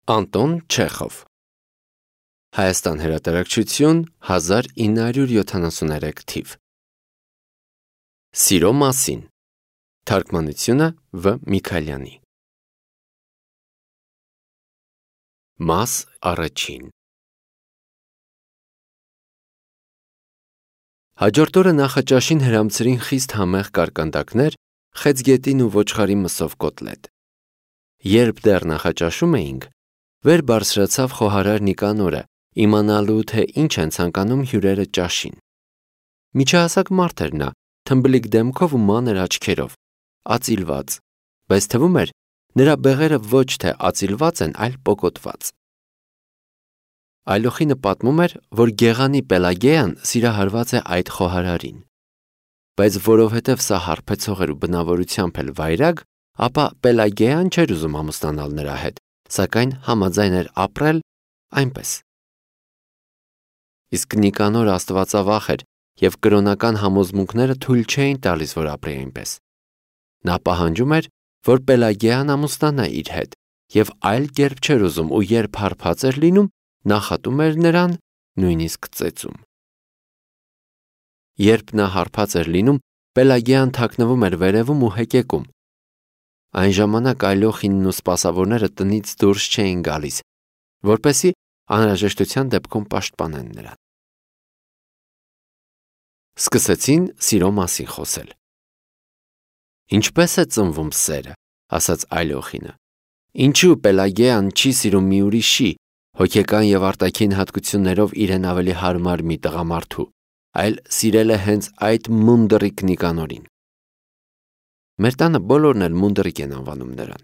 Անտոն Չեխով Հայաստան հրատարակչություն 1973 թիվ Սիրո մասին Թարգմանությունը Վ. Միքայելյանի Մաս առաջին Հաջորդ օրը նախաճաշին հրամցրին խիստ համեղ կարկանդակներ, խեցգետին ու ոչխարի մսով կոտլետ։ Երբ դեռ նախաճաշում էինք, վեր բարձրացավ խոհարար Նիկանորը, իմանալու թե ինչ են ցանկանում հյուրերը ճաշին։ Միջահասակ մարդ էր նա, թմբլիկ դեմքով ու մանր աչքերով, ածիլված, բայց թվում էր, նրա բեղերը ոչ թե ածիլված են, այլ պոկոտված։ Այլոխինը պատմում էր, որ գեղանի Պելագեան սիրահարված է այդ խոհարարին, բայց որովհետև սա հարբեցող էր ու բնավորությամբ էլ վայրագ, ապա Պելագեան չէր ուզում ամուսնանալ նրա հետ, սակայն համաձայն էր ապրել այնպես։ Իսկ Նիկանոր աստվածավախ էր և կրոնական համոզմունքները թույլ չէին տալիս, որ ապրի այնպես։ Նա պահանջում էր, որ Պելագեան ամուսնանա իր հետ, և այլ կերպ չէր ուզում ու երբ հարբած էր լինում, նախատում էր նրան, նույնիսկ ծեծում։ Երբ նա հարբած էր լինում, Պելագեան թաքնվում էր վերևում ու հեկեկում։ Այն ժամանակ այլոխինն ու սպասավորները տնից դուրս չէին գալիս, որպեսզի անհրաժեշտության դեպքում պաշտպանեն նրան։ Սկսեցին սիրո մասին խոսել։ Ինչպես է ծնվում սերը, ասաց այլոխինը։ Ինչու Պելագեան չի սիրում մի ուրիշի, հոգեկան և արտաքին հատկություններով իրեն ավելի հարմար մի տղամարդու, այլ սիրել է հենց այդ մունդռիկ Նիկանորին։ Մեր տանը բոլորն էլ մունդռիկ են անվանում նրան։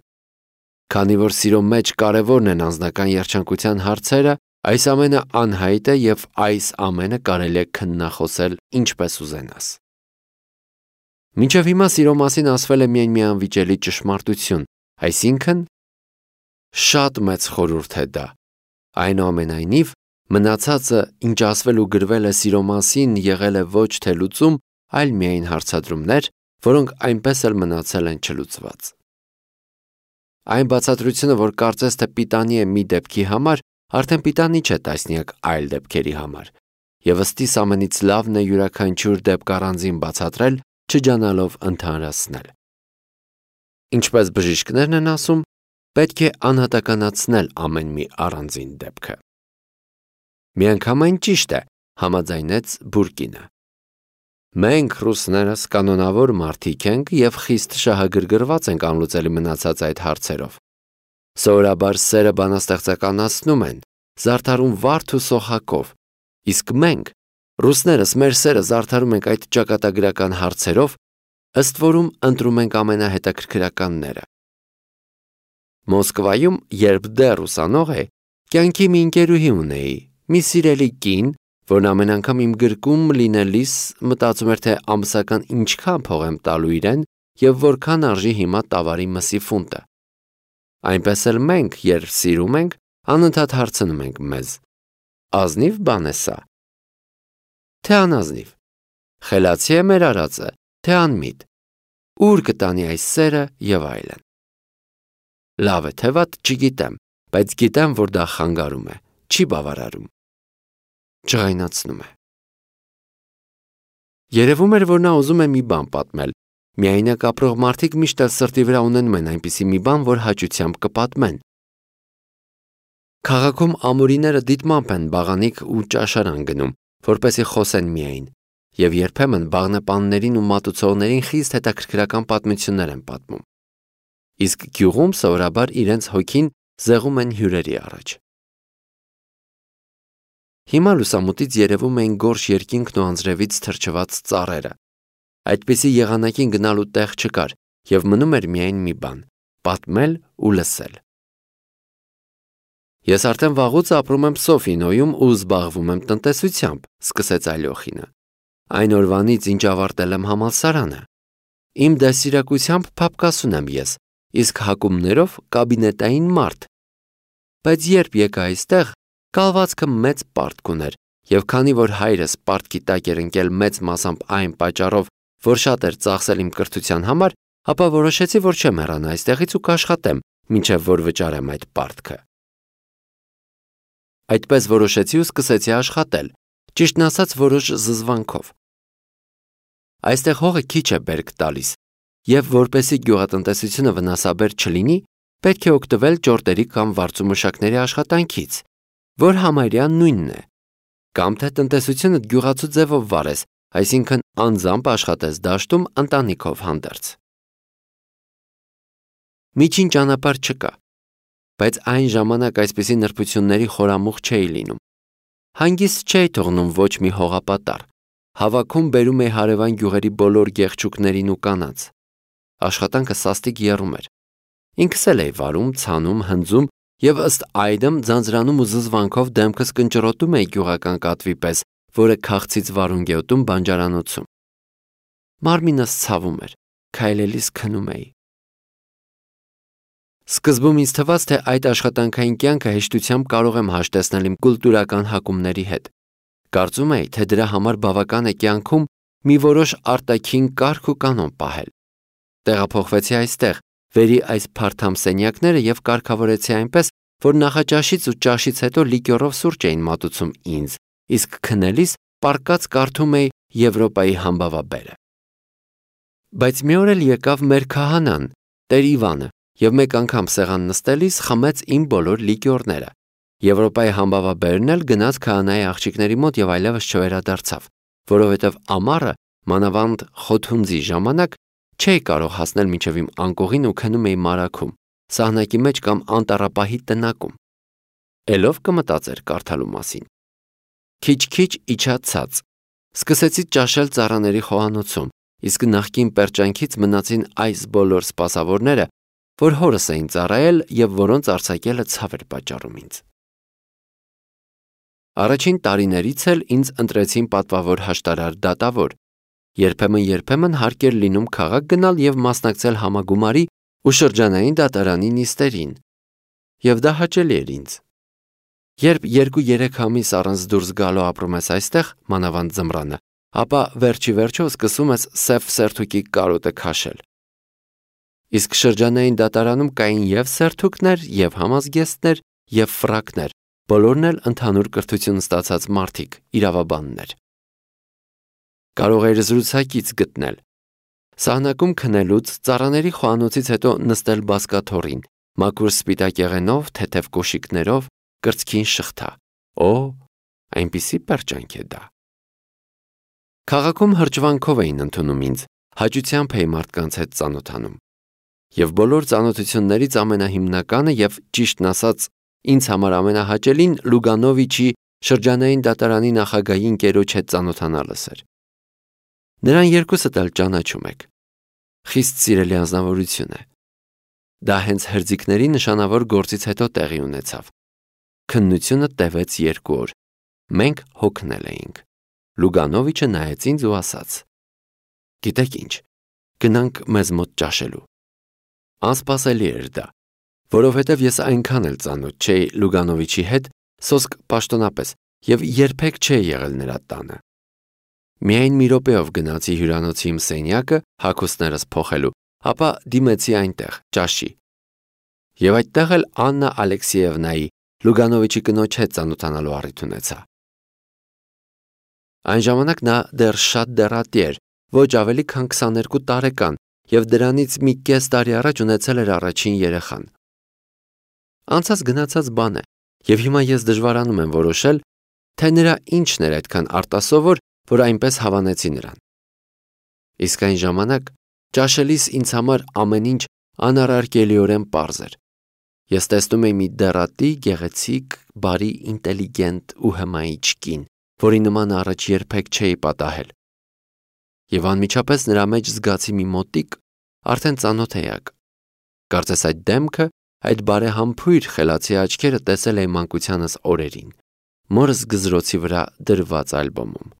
Քանի որ սիրո մեջ կարևորն են անձնական երջանկության հարցերը, այս ամենը անհայտ է և այս ամենը կարելի է քննախոսել ինչպես ուզենաս։ Մինչև հիմա սիրո մասին ասվել է միայն մի անվիճելի ճշմարտություն, այսինքն շատ մեծ խորհուրդ է դա։ Այնուամենայնիվ, մնացածը, ինչ ասվել ու գրվել է սիրո մասին, եղել է ոչ թե լուծում, այլ միայն հարցադրումներ, որոնք այնպես էլ մնացել են չլուծված։ Այն բացատրությունը, որ կարծես թե պիտանի է մի դեպքի համար, արդեն պիտանի չէ տասնյակ այլ դեպքերի համար, և ըստիս ամենից լավն է յուրաքանչյուր դեպք առանձին բացատրել, չջանալով ընդհանրացնել։ Ինչպես բժիշկներն են ասում, պետք է անհատականացնել ամեն մի առանձին դեպքը։ Միանգամայն ճիշտ է, համաձայնեց Բուրկինը։ Մենք ռուսներս կանոնավոր մարդիկ ենք և խիստ շահագրգռված ենք անլուծելի մնացած այդ հարցերով։ Սովորաբար սերը բանաստեղծականացնում են, զարդարում վարդ ու սոխակով, իսկ մենք, ռուսներս, մեր սերը զարդարում ենք այդ ճակատագրական հարցերով, ըստ որում ընտրում ենք ամենահետաքրքրականները։ Մոսկվայում, երբ դեռ ուսանող էի, կյանքի մի ընկերուհի ունեի, մի սիրելի կին, որն ամեն անգամ իմ գրկում լինելիս մտածում էր, թե ամսական ինչքան փող եմ տալու իրեն և որքան արժի հիմա տավարի մսի ֆունտը։ Այնպես էլ մենք, երբ սիրում ենք, անընդհատ հարցնում ենք մեզ. ազնիվ բան է սա, թե անազնիվ, խելացի է մեր արածը, թե անմիտ, ուր կտանի այս սերը և այլն։ Լավ է թե վատ, չգիտեմ, բայց գիտեմ, որ դա խանգարում է, չի բավարարում, ջղայնացնում է։ Երևում էր, որ նա ուզում է մի բան պատմել, միայնակ ապրող մարդիկ միշտ էլ սրտի վրա ունենում են այնպիսի մի բան, որ հաճությամբ կպատմեն։ Քաղաքում ամուրիները դիտմամբ են բաղանիք ու ճաշարան գնում, որպեսզի խոսեն միայն, և երբեմն բաղնեպաններին ու մատուցողներին խիստ հետաքրքրական պատմություններ են պատմում։ Իսկ գյուղում սովորաբար իրենց հոգին զեղում են հյուրերի առաջ։ Հիմա լուսամուտից երևում էին գորշ երկինքն ու անձրևից թրջված ծառերը։ Այդպիսի եղանակին գնալու տեղ չկար, և մնում էր միայն մի բան՝ պատմել ու լսել։ Ես արդեն վաղուց ապրում եմ Սոֆինոյում ու զբաղվում եմ տնտեսությամբ, սկսեց այլոխինը։ Այն օրվանից, ինչ ավարտել եմ համալսարանը։ Իմ դաստիարակությամբ փափկասուն եմ ես, իսկ հակումներով կաբինետային մարդ։ Բայց երբ եկա այստեղ, կալվածքը մեծ պարտք ուներ, և քանի որ հայրս պարտքի տակ էր ընկել մեծ մասամբ այն պատճառով, որ շատ էր ծախսել իմ կրթության համար, ապա որոշեցի, որ չեմ հեռանա այստեղից ու կաշխատեմ, մինչև որ վճարեմ այդ պարտքը։ Այդպես որոշեցի ու սկսեցի աշխատել, ճիշտն ասած որոշ զզվանքով։ Այստեղ հողը քիչ է բերք տալիս, եւ որպեսզի գյուղատնտեսությունը վնասաբեր չլինի, պետք է օգտվել ճորտերի կամ վարձումշակների աշխատանքից, որ համարյա նույնն է, կամ թե տնտեսությունդ գյուղացու ձևով վարես, այսինքն անձամբ աշխատես դաշտում ընտանիքով հանդերձ։ Միջին ճանապարհ չկա, բայց այն ժամանակ այսպիսի նրբությունների խորամուխ չէի լինում։ Հանգիստ չէի թողնում ոչ մի հողապատառ, հավաքում բերում էի հարևան գյուղերի բոլոր գեղչուկներին ու կանանց։ Աշխատանքը սաստիկ եռում էր։ Ինքս էլ էի վարում, ցանում, հնձում եւ ըստ այդմ ձանձրանում ու զզվանքով դեմքս կնճռոտում էի գյուղական կատվի պես, որը քաղցից վարունգ է ուտում բանջարանոցում։ Մարմինս ցավում էր, քայլելիս քնում էի։ Սկզբում ինձ թվաց, թե այդ աշխատանքային կյանքը հեշտությամբ կարող եմ հաշտեցնել իմ կուլտուրական հակումների հետ։ Կարծում էի, թե դրա համար բավական է կյանքում մի որոշ արտաքին կարգ ու կանոն պահել։ Տեղափոխվեցի այստեղ, վերի այս փարթամ սենյակները եւ կարգավորեցի այնպես, որ նախաճաշից ու ճաշից հետո լիկյորով սուրճ էին մատուցում ինձ, իսկ քնելիս պառկած կարդում էի Եվրոպայի համբավաբերը։ Բայց մի օր էլ եկավ մեր քահանան, Տեր Իվանը, եւ մեկ անգամ սեղան նստելիս խմեց իմ բոլոր լիկյորները։ Եվրոպայի համբավաբերն էլ գնաց քահանայի աղջիկների մոտ եւ այլևս չվերադարձավ, որովհետեւ ամառը, մանավանդ խոթունձի ժամանակ, չէի կարող հասնել մինչև իմ անկողին ու քնում էի մարաքում, սահնակի մեջ կամ անտառապահի տնակում։ Էլով կմտածեր կարդալու մասին։ Քիչ-քիչ իջա ցած։ Սկսեցի ճաշել ծառաների խոհանոցում, իսկ նախկին պերճանքից մնացին այս բոլոր սպասավորները, որ հորս էին ծառայել եւ որոնց արձակելը ցավ էր պատճառում ինձ։ Առաջին տարիներից էլ ինձ ընտրեցին պատվավոր հաշտարար դատավոր։ Երբեմն հարկ էր լինում քաղաք գնալ եւ մասնակցել համագումարի ու շրջանային դատարանի նիստերին։ Եվ դա հաճելի էր ինձ։ Երբ 2-3 ամիս առանց դուրս գալու ապրում ես այստեղ, մանավանդ ձմռանը, ապա վերջիվերջո սկսում ես սև սերթուկի կարոտը քաշել։ Իսկ շրջանային դատարանում կային եւ սերթուկներ, եւ համազգեստներ, եւ ֆրակներ, բոլորն էլ ընդհանուր կրթություն ստացած մարդիկ, իրավաբաններ։ Կարող էր զրուցակից գտնել։ Սահնակում քնելուց, ծառաների խոհանոցից հետո նստել բազկաթոռին, մաքուր սպիտակ եղենով, թեթև կոշիկներով, կրծքին շղթա։ Օ, այնպիսի պերճանք է դա։ Քաղաքում հրճվանքով էին ընդունում ինձ, հաճությամբ էի մարդկանց հետ ծանոթանում։ Եվ բոլոր ծանոթություններից ամենահիմնականը եւ ճիշտն ասած ինձ համար ամենահաճելին Լուգանովիչի շրջանային դատարանի նախագահի ընկերոջ հետ ծանոթանալս էր։ Նրան երկուսդ էլ ճանաչում եք։ Խիստ սիրելի անձնավորություն է։ Դա հենց հրձիկների նշանավոր գործից հետո տեղի ունեցավ։ Քննությունը տևեց 2 օր։ Մենք հոգնել էինք։ Լուգանովիչը նայեց ինձ ու ասաց. «Գիտեք ինչ, գնանք մեզ մոտ ճաշելու»։ Անսպասելի էր դա, որովհետև ես այնքան էլ ծանոթ չէի Լուգանովիչի հետ, սոսկ պաշտոնապես, եւ երբեք չէի եղել նրա տանը։ Միայն մի րոպեով գնացի հյուրանոցի իմ սենյակը հագուստներս փոխելու, ապա դիմեցի այնտեղ ճաշի։ Եվ այդտեղ էլ Աննա Ալեքսեևնայի Լուգանովիչի կնոջ հետ ծանոթանալու առիթ ունեցա։ Այն ժամանակ նա դեռ շատ դեռատի էր, ոչ ավելի քան 22 տարեկան, եւ դրանից մի կես տարի առաջ ունեցել էր առաջին երեխան։ Անցած գնացած բան է, եւ հիմա ես դժվարանում եմ որոշել, թե նրա ինչն էր այդքան արտասովոր, որ այնպես հավանեցի նրան։ Իսկ այն ժամանակ ճաշելիս ինձ համար ամեն ինչ անառարկելիորեն պարզ էր։ Ես տեսնում էի մի դեռատի, գեղեցիկ, բարի, ինտելիգենտ ու հմայիչ կին, որի նման առաջ երբեք չէի պատահել։ Եվ անմիջապես նրա մեջ զգացի մի մոտիկ, արդեն ծանոթ էակ։ Կարծես այդ դեմքը, այդ բարեհամբույր խելացի աչքերը տեսել էի մանկությանս օրերին, մորս գզրոցի վրա դրված ալբոմում։